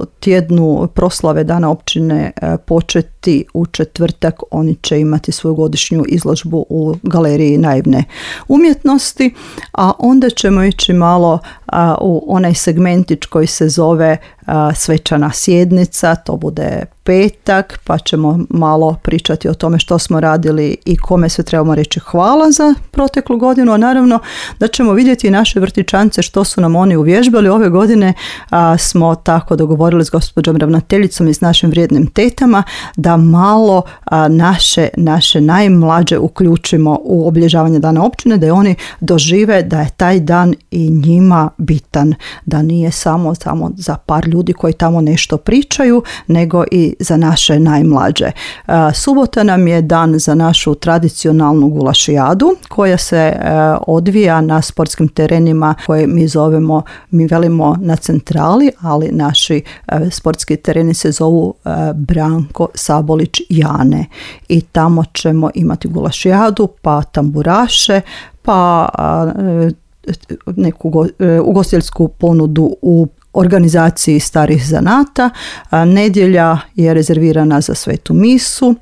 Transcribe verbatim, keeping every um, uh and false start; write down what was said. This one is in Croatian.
tjednu proslave Dana općine početi u četvrtak. Oni će imati svoju godišnju izložbu u Galeriji naivne umjetnosti, a onda ćemo ići malo a, u onaj segmentić koji se zove a, svečana sjednica. To bude petak, pa ćemo malo pričati o tome što smo radili i kome sve trebamo reći hvala za proteklu godinu, a naravno da ćemo vidjeti i naše vrtićance što su nam oni uvježbali. Ove godine a, smo tako dogovorili s gospođom ravnateljicom i s našim vrijednim tetama da malo a, naše, naše najmlađe uključimo u obilježavanje Dana općine, da oni dožive da je taj dan i njima bitan, da nije samo, samo za par ljudi koji tamo nešto pričaju, nego i za naše najmlađe. Subota nam je dan za našu tradicionalnu gulašijadu koja se odvija na sportskim terenima koje mi zovemo, mi velimo na centrali, ali naši sportski tereni se zovu Branko Sabolić Jane i tamo ćemo imati gulašijadu, pa tamburaše, pa neku ugostiteljsku ponudu u organizaciji starih zanata. Nedjelja je rezervirana za svetu misu,